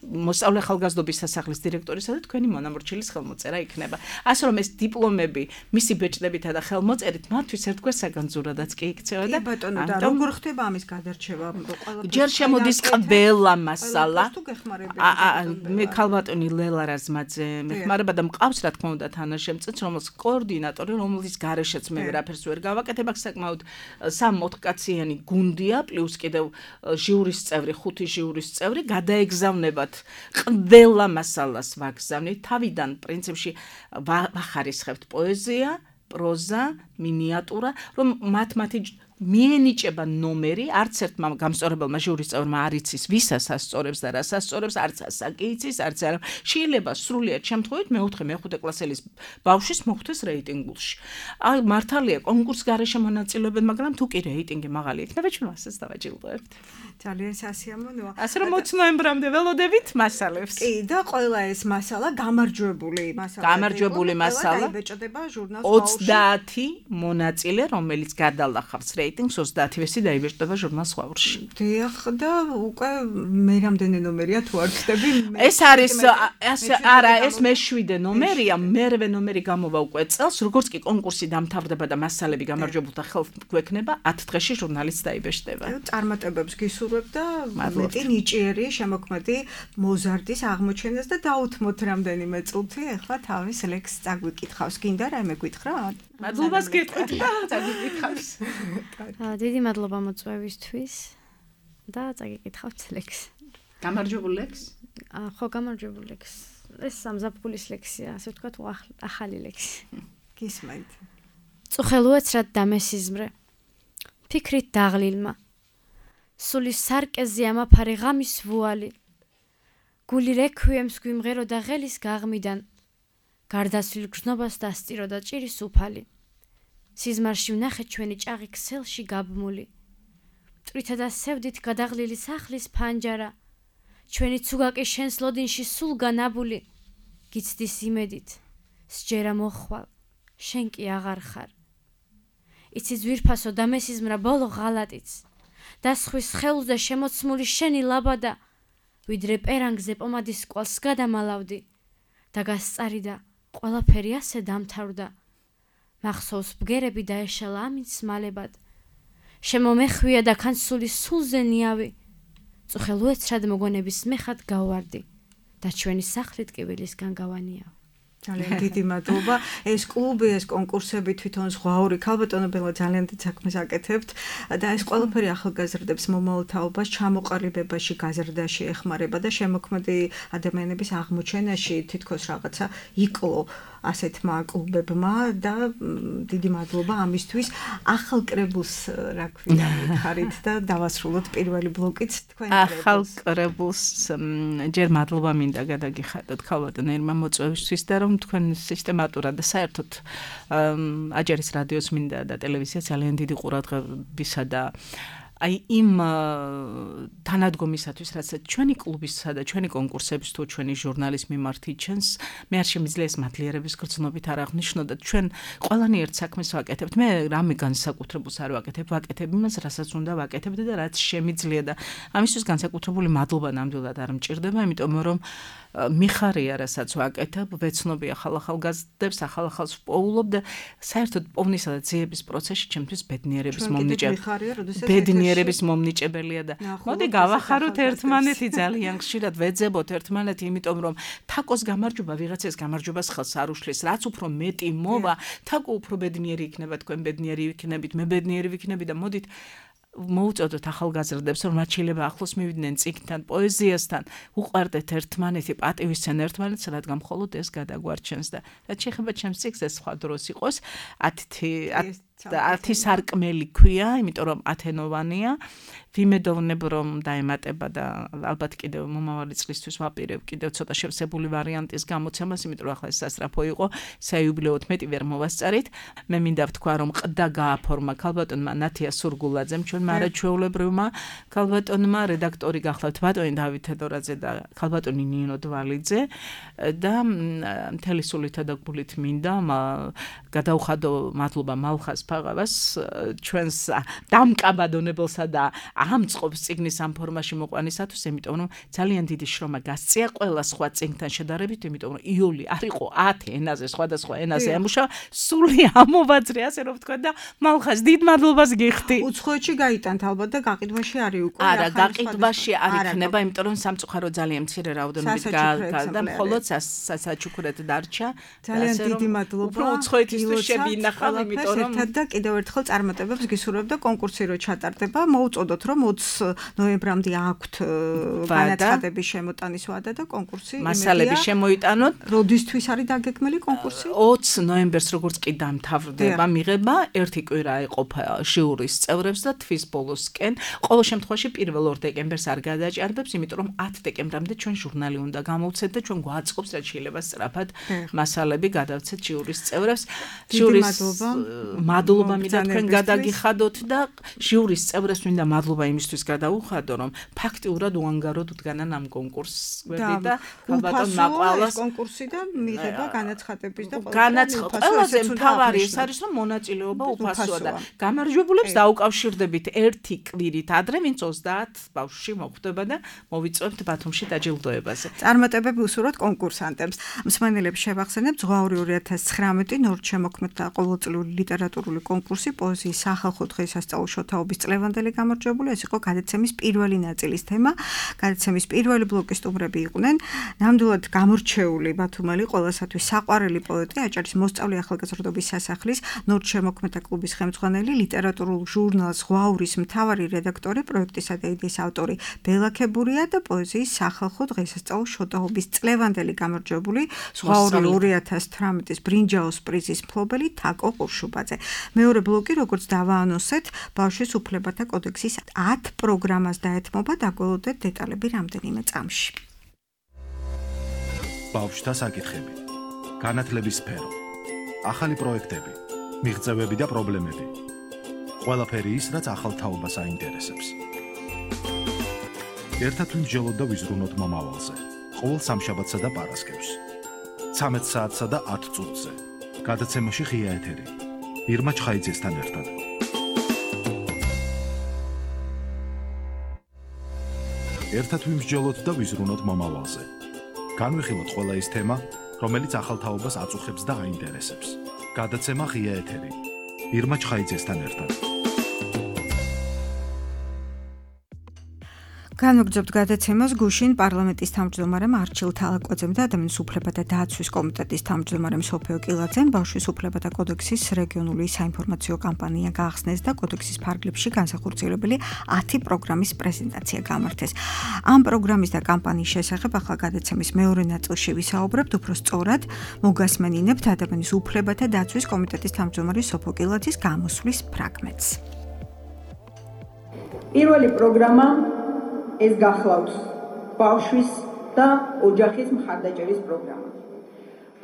[SPEAKER 3] მოსწავლე ახალგაზრდობის სასახლის დირექტორისა და თქვენი მონამორჩილის ხელმოწერა იქნება. ასე რომ ეს დიპლომები მისი ბეჭდებითა და ხელმოწერით მათთვის ერთგვარ საგანძურადაც კი იქცევა და
[SPEAKER 2] ბატონო და როგორ ხდება ამის გადარჩევა?
[SPEAKER 3] ჯერ შემოდის ყველა მასალა. მე ქალბატონი ლელა რაზმაძე მეხმარება და მყავს რა თქმა უნდა თანაშემწეც, რომელს კოორდინატორი, რომლის გარეშეც მე ვერაფერს ვერ გავაკეთებ, აქ საკმაოდ 3-4 კაციანი გუნდია, პლუს კიდევ ჟიურის წევრი, 5 ჟიურის წევრი, გადაეგზავნებათ ყველა მასალას ვაგზავნით, თავიდან პრინციპში ვახარისხებთ პოეზია, პროზა, მინიატურა, რომ მათი მიენიჭება ნომერი, არც ერთმა გამსწორებელმა ჟიურის წევრმა არ იცის ვისაც ასწორებს და რას ასწორებს, არც ასაკი იცის, არც არა. შეიძლება სრულიად შემთხვევით მე-4, მე-5 კლასელის ბავშვის მოხვდეს რეიტინგულში. აი მართალია კონკურს გარეშე მონაწილეობენ, მაგრამ თუ კი რეიტინგი მაღალი იქნება, ჩვენ ასეც დავაჯილდოებთ.
[SPEAKER 2] ძალიან სასიამოვნოა.
[SPEAKER 3] ასე რომ 20 ნოემბრამდე ველოდებით მასალებს.
[SPEAKER 2] კი, და ყველა ეს მასალა გამარჯვებული მასალა. დაიბეჭდება ჟურნალს
[SPEAKER 3] 30 მონაწილე, რომელიც გადალახავს რეიტინგს 30-ესი დაიბეჭდება ჟურნალს ხვავრში.
[SPEAKER 2] დიახ და უკვე მე რამდენი ნომერია თუ არ ვხდები?
[SPEAKER 3] ეს არის არა, ეს მე-7 ნომერია, მერვე ნომერი გამოვა უკვე წელს, როგორც კი კონკურსი დამთავრდება და მასალები გამარჯვებულთა ხელს გვექნება, 10 დღეში ჟურნალიც დაიბეჭდება.
[SPEAKER 2] წარმატებებს გისურვებ და მეტი ნიჭიერი შემოქმედი მოზარდის აღმოჩენას და დაუთმოთ რამდენიმე წუთი, ახლა თავის ლექსს წაგვიკითხავს. გინდა რამე გითხრა?
[SPEAKER 3] მადლობას გეტყვით და წაგიკითხავს.
[SPEAKER 4] დიდი მადლობა მოწვევისთვის და წაგიკითხავთ ლექსს.
[SPEAKER 3] გამარჯვებულ ლექსს?
[SPEAKER 4] ხო, გამარჯვებულ ლექსს. ეს სამზაფხულის ლექსია, ასე ვთქვათ, ახალი ლექსი.
[SPEAKER 2] გისმენთ.
[SPEAKER 4] წუხელუეცრად დამესიზმრე. ფიქრით დაღლილმა. სული სარკეზე ამაფარე ღამის ვუალი. გული რექვიემს გვიმღერო და ღელის გაღმიდან. გარდასვლილ გრძნობას დასწირო და ჭირის უფალი. სიზმარში ვნახეთ ჩვენი ჭაღი ქსელში გაბმული. მტვრითა და სევდით გადაღლილი სახლის ფანჯარა. ჩვენი ცუგაკი შენს ლოდინში სულ განაბული. გიცდის იმედით, სჯერა მოხვალ, შენ კი აღარ ხარ. იცი ძვირფასო დამესიზმრა ბოლო ღალატიც. და სხვის ხელზე შემოცმული შენი ლაბადა. ვიდრე პერანგზე პომადის კვალს გადამალავდი. და გასწარიდა, ყველაფერი ასე დამთავრდა. მახსოვს ბგერები დაეშალა ამით სმალებად. შემომეხვია და კანსული სულზე ნიავი. წუხელუეცრად მოგონების მეხად გავვარდი და ჩვენი სახლით კიბილისგან გავანიავ.
[SPEAKER 2] ძალიან დიდი მადლობა. ეს კლუბი, ეს კონკურსები თვითონ ზღვაური ქალბატონო ბელა ძალიან დიდ საქმეს აკეთებთ და ეს ყველაფერი ახალგაზრდებს მომავალ თაობას ჩამოყალიბებაში, გაზრდაში ეხმარება და შემოქმედი ადამიანების აღმოჩენაში თითქოს რაღაცა იკლო ასეთმა კლუბებმა და დიდი მადლობა ამისთვის. ახალ კრებულს რა ქვია მითხარით და დავასრულოთ პირველი ბლოკიც თქვენ კრებულს.
[SPEAKER 3] ახალ კრებულს ჯერ მადლობა მინდა გადაგიხადოთ ქალბატონ ერმა მოწვევისთვის და რომ თქვენ სისტემატურად და საერთოდ აჯარის რადიოს მინდა და ტელევიზია ძალიან დიდი ყურადღებისა და აი იმ თანადგომისათვის, რაც ჩვენი კლუბისა და ჩვენი კონკურსების თუ ჩვენი ჟურნალის მიმართ იჩენს, მე არ შემიძლია ეს მადლიერების გრძნობით არ აღნიშნოთ. ჩვენ ყველანი ერთ საქმეს ვაკეთებთ. მე რამე განსაკუთრებულს არ ვაკეთებ იმას, რასაც უნდა ვაკეთებდე და რაც შემიძლია და ამისთვის განსაკუთრებული მადლობა ნამდვილად არ მჭირდება, იმიტომ რომ მიხარია, რასაც ვაკეთებ, ვეცნობი ახალგაზრდებს, ახალს ვპოულობ და საერთოდ პოვნისა და ძიების პროცესში ჩემთვის ბედნიერების მომნიჭებელია და მოდი გავახაროთ ერთმანეთი, ძალიან ხშირად ვეძებოთ ერთმანეთი, იმიტომ რომ თაკოს გამარჯვება ვიღაცას გამარჯვებას ხელს არ უშლის, რაც უფრო მეტი მოვა, თაკო უფრო ბედნიერი იქნება, თქვენ ბედნიერი ვიქნებით, მე ბედნიერი ვიქნები და მოდით მოუწოდოთ ახალგაზრდებს, რომ მათ შეიძლება ახლოს მივიდნენ წიგნთან, პოეზიასთან, უყვარდეთ ერთმანეთი, პატივისცენ ერთმანეთს, რადგან მხოლოდ ეს გადაგვარჩენს და რაც შეეხება ჩემს წიგნს, ეს სხვა დროს იყოს 10 სარკმელი ქვია, იმიტომ რომ 10-ოვანია. ვიმედოვნებ რომ დაემატება და ალბათ კიდევ მომავალი წლისთვის ვაპირებ კიდევ ცოტა შევსებული ვარიანტის გამოცემას, იმიტომ რომ ახლა ეს სასწრაფო იყო, საიუბილეოდ მეტი ვერ მოვასწარით. მე მინდა ვთქვა რომ ყდა გააფორმა ქალბატონმა ნათია სურგულაძემ, ჩვენმა არაჩვეულებრივმა ქალბატონმა, რედაქტორი გახლავთ ბატონი დავით თედორაძე და ქალბატონი ნინო დვალიძე და მთელი სულითა და გულით მინდა გადაუხადო მადლობა მალხას ფაღავას, ჩვენს დამკაბადონებელსა და ამწყობს წიგნის ამ ფორმაში მოყვანისათვის, იმიტომ რომ ძალიან დიდი შრომა გასწია ყველა სხვა წიგნთან შედარებით, იმიტომ რომ იოლი არ იყო 10 ენაზე, სხვადასხვა ენაზე ემუშავა, სული ამოვაძრე, ასე რომ ვთქვა და მალხას დიდ მადლობას გიხდი.
[SPEAKER 2] უცხოეთში გაიტანთ ალბათ და გაყიდვაში არის უკვე.
[SPEAKER 3] არა, გაყიდვაში არ იქნება, იმიტომ რომ სამწუხაროდ ძალიან მცირე რაოდენობით და მხოლოდ სასაჩუქრად დარჩა.
[SPEAKER 2] ძალიან დიდი მადლობა.
[SPEAKER 3] უფრო უცხოეთისთვის შევინახავ, იმიტომ რომ
[SPEAKER 2] და კიდევ ერთხელ წარმატებებს გისურვებ და კონკურსი რო ჩატარდება, მოუწოდოთ რომ 20 ნოემბრამდე აქვთ განაცხადების შემოტანის ვადა და კონკურსი
[SPEAKER 3] მასალები შემოიტანოთ.
[SPEAKER 2] როდისთვის არის დაგეგმილი კონკურსი?
[SPEAKER 3] 20 ნოემბერს როგორც კი დამთავრდება მიღება, ერთი კვირა ეყოფა ჟიურის წევრებს და თვის ბოლოსკენ. ყოველ შემთხვევაში 1 დეკემბერს არ გადაჭარბებს, იმიტომ რომ 10 დეკემბრამდე ჩვენ ჟურნალი უნდა გამოვცეთ და ჩვენ გვაწყობს რაც შეიძლება სწრაფად მასალები გადავცეთ ჟიურის წევრებს. ჟიურის მადლობა მინდა თქვენ გადაგიხადოთ და ჟიურის წევრებს მინდა მადლობა იმისთვის გადაუხადო, რომ ფაქტიურად უანგაროდ უდგანან ამ კონკურსებში და ალბათ მაყვალას
[SPEAKER 2] კონკურსი და მიღება განაცხადების და
[SPEAKER 3] ყველაზე მთავარი ეს არის, რომ მონაწილეობა უფასოა და გამარჯვებულებს დაუკავშირდებით ერთი კვირით ადრე, ვინც 30 ბავშვი მოხვდება და მოვიწვევთ ბათუმში დაჯილდოებაზე.
[SPEAKER 2] წარმატებები უსურვოთ კონკურსანტებს. მსმენელებს შევახსენებ ზღვაური 2019 ნორჩემოქმედთა ყოველწლიური ლიტერატურული კონკურსი პოეზიის სახალხო დღესასწაულ შოთაობის წლევანდელი გამარჯვებული. ეს იყო გადაცემის პირველი ნაწილის თემა. გადაცემის პირველი ბლოკის სტუმრები იყვნენ ნამდვილად გამორჩეული ბათუმელი, ყველასათვის საყვარელი პოეტი, აჭარის მოსწავლე ახალგაზრდობის სასახლის ნორჩემოქმედთა კლუბის ხელმძღვანელი, ლიტერატურულ ჟურნალ ზღვაურის მთავარი რედაქტორი, პროექტისა და იდეის ავტორი ბელა ქებურია და პოეზიის სახალხო დღესასწაულ შოთაობის წლევანდელი გამარჯვებული ზღვაური 2018-ის ბრინჯაოს პრიზის მფლობელი თაკო ყურშუბაძე. მეორე ბლოკი, როგორც დავაანონსეთ, ბავშვის უფლებათა კოდექსის 10 პროგრამას დაეთმობა, დაგველოდეთ დეტალები რამდენიმე წამში.
[SPEAKER 1] ბავშვთა საკითხები, განათლების სფერო, ახალი პროექტები, მიღწევები და პრობლემები. ყველაფერი ის, რაც ახალ თაობას აინტერესებს. ერთად ვიმსჯელოთ და ვიზრუნოთ მომავალზე. ყოველ სამშაბათსა და პარასკევს. 13 საათსა და 10 წუთზე. გადაცემაში ღია ეთერი. ირმა ჩხაიძესთან ერთად. ერთად ვიმსჯელოთ და ვიზრუნოთ მომავალზე. განვიხილოთ ყველა ის თემა, რომელიც ახალ თაობას აწუხებს და აინტერესებს. გადაცემა ღია ეთერი. ირმა ჩხაიძესთან ერთად.
[SPEAKER 2] განვაგრძობთ გადაცემას გუშინ პარლამენტის თავმჯდომარემ არჩილ თალაკვაძემ და ადამიანის უფლებათა დაცვის კომიტეტის თავმჯდომარემ სოფიო კილაძემ ბავშვის უფლებათა კოდექსის რეგიონული საინფორმაციო კამპანია გაახსნეს და კოდექსის ფარგლებში განსახორციელებელი 10 პროგრამის პრეზენტაცია გამართეს. ამ პროგრამის და კამპანიის შესახებ ახლა გადაცემის მეორე ნაწილში ვისაუბრებთ, უფრო სწორად მოგასმენინებთ ადამიანის უფლებათა დაცვის კომიტეტის თავმჯდომარის სოფიო კილაძის გამოსვლის ფრაგმენტს.
[SPEAKER 5] პირველი პროგრამა ეს გახლავთ ბავშვის და ოჯახის მხარდაჭერის პროგრამა.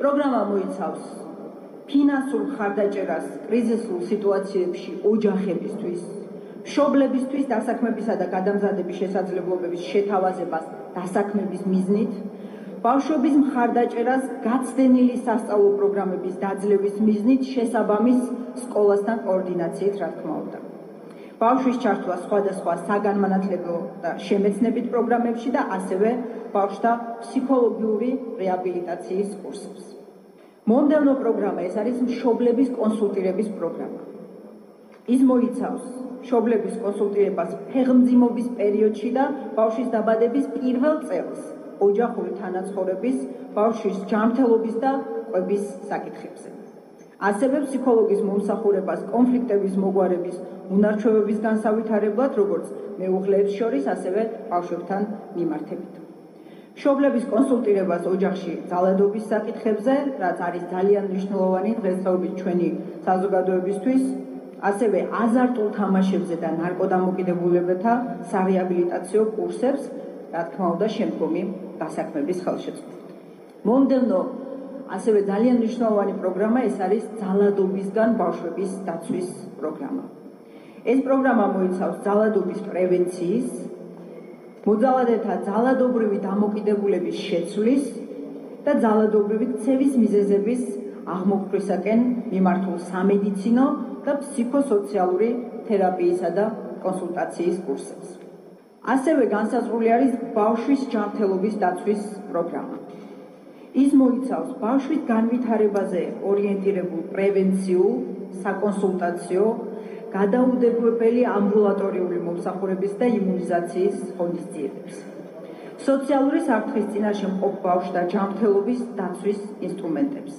[SPEAKER 5] პროგრამა მოიცავს ფინანსურ მხარდაჭერას კრიზისულ სიტუაციებში ოჯახებისთვის, მშობლებისთვის დასაქმებისა და გადამზადების შესაძლებლობების შეთავაზებას დასაქმების მიზნით, ბავშვების მხარდაჭერას გაცდენილი სასწავლო პროგრამების დაძლევის მიზნით შესაბამის სკოლასთან კოორდინაციით, რა თქმა უნდა. ბავშვის ჩართვა სხვადასხვა საგანმანათლებლო და შემეცნებით პროგრამებში და ასევე ბავშვთა ფსიქოლოგიური რეაბილიტაციის კურსებს. მომდევნო პროგრამა ეს არის მშობლების კონსულტირების პროგრამა. ის მოიცავს მშობლების კონსულტირებას ფეხმძიმობის პერიოდში და ბავშვის დაბადების პირველ წელს ოჯახური თანაცხოვრების, ბავშვის ჯანმრთელობის და კვების საკითხებზე. ასევე ფსიქოლოგის მომსახურებას კონფლიქტების მოგვარების უნარჩვევების განსავითარებლად, როგორც მეუღლეებს შორის, ასევე ბავშვებთან მიმართებით. მშობლების კონსულტირებას ოჯახში ძალადობის საკითხებზე, რაც არის ძალიან მნიშვნელოვანი დღესდღეობით ჩვენი საზოგადოებისთვის, ასევე აზარტულ თამაშებზე და ნარკოდამოკიდებულებათა სარეაბილიტაციო კურსებს, რა თქმა უნდა, შემდგომი დასაქმების ხელშეწყობით. მომდევნო ასევე ძალიან მნიშვნელოვანი პროგრამა ეს არის ძალადობისგან ბავშვების დაცვის პროგრამა. ეს პროგრამა მოიცავს ძალადობის პრევენციის, მოძალადეთა ძალადობრივი დამოკიდებულების შეცვლის და ძალადობრივი ქცევის მიზეზების აღმოფხვისაკენ მიმართულ სამედიცინო და ფსიქოსოციალური თერაპიისა და კონსულტაციის კურსებს. ასევე განსაზღვრული არის ბავშვის ჯანმრთელობის დაცვის პროგრამა. ის მოიცავს ბავშვის განვითარებაზე ორიენტირებულ პრევენციულ, საკონსულტაციო, გადაუდებებელი ამბულატორიული მომსახურების და იმუნიზაციის ღონისძიებებს. სოციალური საფრთხის წინაშე მყოფ ბავშვთა ჯანმრთელობის დაცვის ინსტრუმენტებს.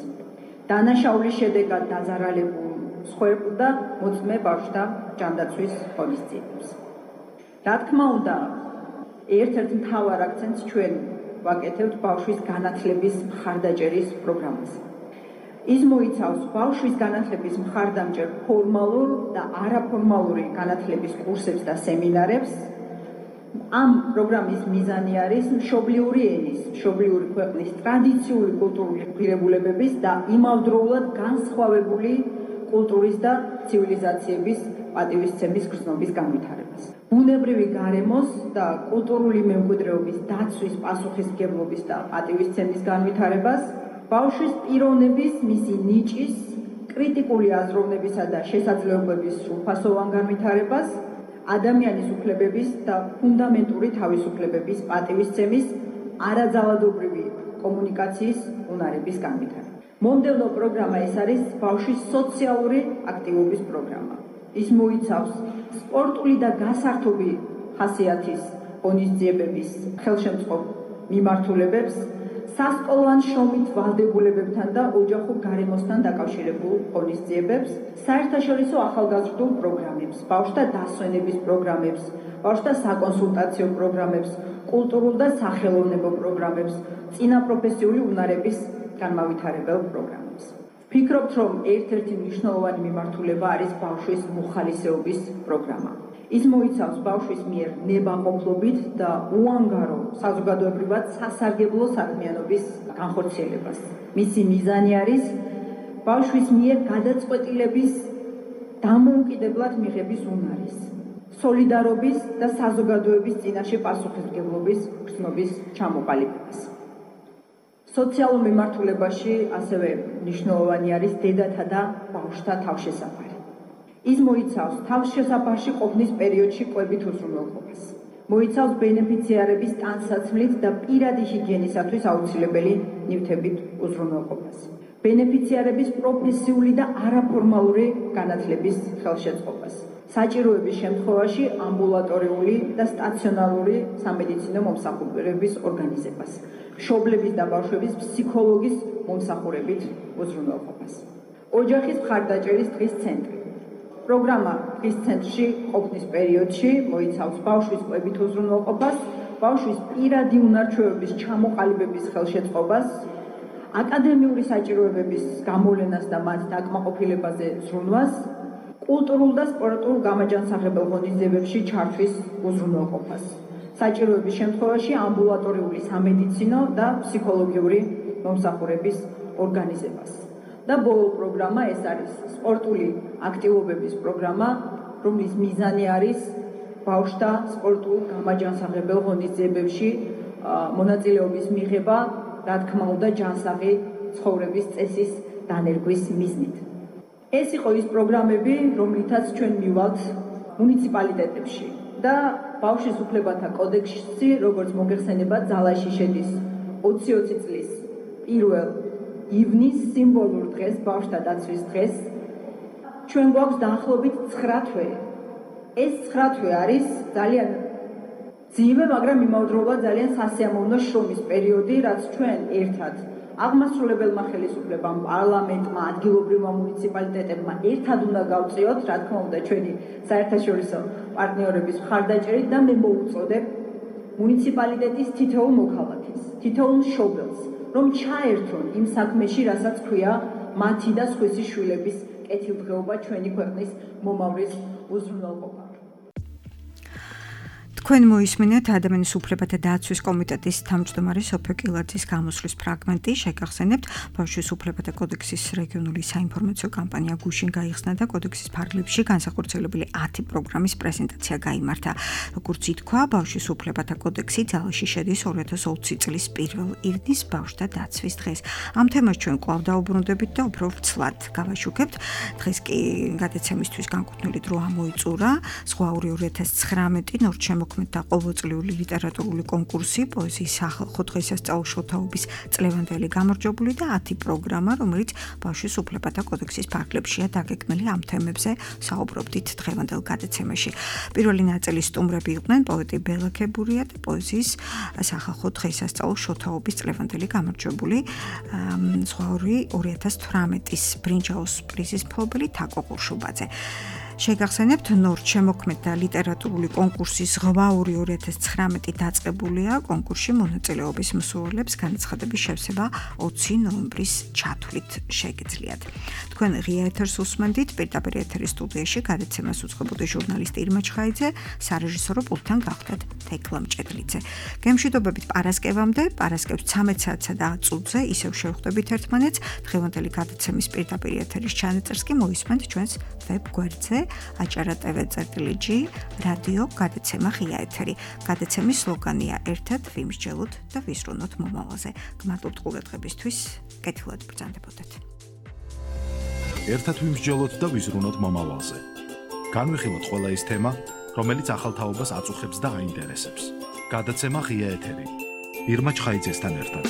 [SPEAKER 5] დანაშაულის შედეგად დაზარალებულ მსხვერპლ და მოწმე ბავშვთა ჯანდაცვის ღონისძიებებს. რა თქმა უნდა, ერთ-ერთ მთავარ აქცენტს ჩვენ ვაკეთებთ ბავშვის განათლების მხარდაჭერის პროგრამას. ის მოიცავს ბავშვის განათლების მხარდამჭერ ფორმალურ და არაფორმალური განათლების კურსებს და სემინარებს. ამ პროგრამის მიზანი არის მშობლიური ენის, მშობლიური ქვეყნის ტრადიციული კულტურული ღირებულებების და იმავდროულად განსხვავებული კულტურის და ცივილიზაციების პატივისცემის გრძნობის განვითარებას. ბუნებრივი გარემოს და კულტურული მემკვიდრეობის დაცვის პასუხისმგებლობის და პატივისცემის განვითარებას, ბავშვის პიროვნების, მისი ნიჭის, კრიტიკული აზროვნებისა და შესაძლებლობების სრულფასოვან განვითარებას, ადამიანის უფლებების და ფუნდამენტური თავისუფლებების პატივისცემის, არაძალადობრივი კომუნიკაციის უნარების განვითარება. მომდევნო პროგრამა ეს არის ბავშვის სოციალური აქტივობის პროგრამა. ის მოიცავს სპორტული და გასართობი ხასიათის ღონისძიებების ხელშემწყობ მიმართულებებს, სასკოლოვან შრომით ვალდებულებებთან და ოჯახურ გარემოსთან დაკავშირებულ ღონისძიებებს, საერთაშორისო ახალგაზრდულ პროგრამებს, ბავშვთა დასვენების პროგრამებს, ბავშვთა საკონსულტაციო პროგრამებს, კულტურულ და სახელოვნებო პროგრამებს, წინაპროფესიული უნარების განმავითარებელ პროგრამებს. ვფიქრობთ, რომ ერთ-ერთი მნიშვნელოვანი მიმართულება არის ბავშვის მოხალისეობის პროგრამა. ის მოიცავს ბავშვის მიერ ნებაყოფლობით და უანგარო საზოგადოებრივად სასარგებლო საქმიანობის განხორციელებას. მისი მიზანი არის ბავშვის მიერ გადაწყვეტილების დამოუკიდებლად მიღების უნარის, სოლიდარობის და საზოგადოების წინაშე პასუხისმგებლობის გრძნობის ჩამოყალიბებას. სოციალურ მიმართულებაში ასევე მნიშვნელოვანი არის დედათა და ბავშვთა თავშესაფარი. ის მოიცავს თავშესაფარში ყოფნის პერიოდში კვებით უზრუნველყოფას. მოიცავს ბენეფიციარების ტანსაცმლით და პირადი ჰიგიენისათვის აუცილებელი ნივთებით უზრუნველყოფას. ბენეფიციარების პროფესიული და არაფორმალური განათლების ხელშეწყობას. საჭიროების შემთხვევაში ამბულატორიული და სტაციონარული სამედიცინო მომსახურების ორგანიზებას. მშობლების და ბავშვების ფსიქოლოგის მომსახურებით უზრუნველყოფას. ოჯახის მხარდაჭერის დღის ცენტრი. პროგრამა დღის ცენტრში ყოფნის პერიოდში მოიცავს ბავშვის კვებით უზრუნველყოფას, ბავშვის პირადი უნარჩვევების ჩამოყალიბების ხელშეწყობას, აკადემიური საჭიროებების გამოვლენას და მათ დაკმაყოფილებაზე ზრუნვას, კულტურულ და სპორტულ გამაჯანსაღებელ ღონისძიებებში ჩართვის უზრუნველყოფას. საჭიროების შემთხვევაში ამბულატორიული სამედიცინო და ფსიქოლოგიური მომსახურების ორგანიზებას. და ბოლო პროგრამა ეს არის სპორტული აქტივობების პროგრამა რომლის მიზანი არის ბავშვთა სპორტულ გამაჯანსაღებელ ღონისძიებებში მონაწილეობის მიღება, რა თქმა უნდა, ჯანსაღი ცხოვრების წესის დანერგვის მიზნით. ეს იყო ის პროგრამები, რომლითაც ჩვენ მივალთ მუნიციპალიტეტებში და ბავშვის უფლებათა კოდექსში, როგორც მოგეხსენებათ, ძალაში შედის 20-20 წლის 1 ივნისს სიმბოლურ დღეს, ბავშვთა დაცვის დღეს, ჩვენ გვაქვს დაახლოებით 9 თვე. ეს 9 თვე არის ძალიან ძიმე, მაგრამ იმავდროულად ძალიან სასიამოვნო შრომის პერიოდი, რაც ჩვენ ერთად აღმასრულებელმა ხელისუფლებამ, პარლამენტმა, ადგილობრივმა მუნიციპალიტეტებმა ერთად უნდა გავწიოთ, რა თქმა უნდა, ჩვენი საერთაშორისო პარტნიორების მხარდაჭერით და მე მოვუწოდებ მუნიციპალიტეტის თითოეულ მოქალაქეს, თითოეულ მშობელს, რომ ჩაერთონ იმ საქმეში, რასაც ქვია მათი და სხვისი შვილების კეთილდღეობა ჩვენი ქვეყნის მომავლის უზრუნველყოფა.
[SPEAKER 2] თქვენ მოისმინეთ ადამიანის უფლებათა დაცვის კომიტეტის თავმჯდომარე სოფიო კილაძის გამოსვლის ფრაგმენტი. შეგახსენებთ, ბავშვის უფლებათა კოდექსის რეგიონული საინფორმაციო კამპანია გუშინ გაიხსნა და კოდექსის ფარგლებში განსახორციელებელი 10 პროგრამის პრეზენტაცია გაიმართა. როგორც ითქვა, ბავშვის უფლებათა კოდექსი ძალაში შედის 2020 წლის 1 ივნის ბავშვთა დაცვის დღეს. ამ თემას ჩვენ კვლავ დაუბრუნდებით და უფრო ვრცლად გავაშუქებთ. დღეს კი გადაცემისთვის განკუთვნილი დრო ამოიწურა. ზღვაური 2019 ნორჩემოქმედი და ყოველწლიური ლიტერატურული კონკურსი, პოეზიის სახალხო დღესასწაულ შოთაობის წლევანდელი გამარჯვებული და 10 პროგრამა, რომელიც ბავშვის უფლებათა კოდექსის ფარგლებშია დაგეგმილი. ამ თემებზე საუბრობდით დღევანდელ გადაცემაში. პირველი ნაწილის სტუმრები იყვნენ პოეტი ბელა ქებურია და პოეზიის სახალხო დღესასწაულ შოთაობის წლევანდელი გამარჯვებული ზღვაური 2018-ის ბრინჯაოს პრიზის მფლობელი თაკო ყურშუბაძე. შეგახსენებთ, ნორჩემოქმედი და ლიტერატურული კონკურსის ზღვაური 2019 დაწყებულია. კონკურსში მონაწილეობის მსურველებს განაცხადების შევსება 20 ნოემბრის ჩათვლით შეგიძლიათ. თქვენ ღია ეთერს უსმენდით, პირდაპირ ეთერის სტუდიაში გადაცემას უძღვებოდი ჟურნალისტი ირმა ჩხაიძე, სარეჟისორო პულტთან გახდათ თექლა მჭედლიძე. გემშვიდობებით პარასკევამდე, პარასკევს 13 საათსა და 10 წუთზე ისევ შევხვდებით ერთმანეთს. დღევანდელი გადაცემის პირდაპირ ეთერის ჩანაწერს კი მოისმენთ ჩვენს ვებ გვერდზე acara.tv/g რადიო გადაცემა ღია ეთერი. გადაცემის სლოგანია ერთად ვიმსჯელოთ და ვიზრუნოთ მომავალზე. გმადლობთ ყურადღებისთვის, კეთილად ბრძანდებოდეთ.
[SPEAKER 1] ერთად ვიმსჯელოთ და ვიზრუნოთ მომავალზე. განვიხილოთ ყველა ის თემა, რომელიც ახალ თაობას აწუხებს და აინტერესებს. გადაცემა ღია ეთერი. ირმა ჩხაიძესთან ერთად.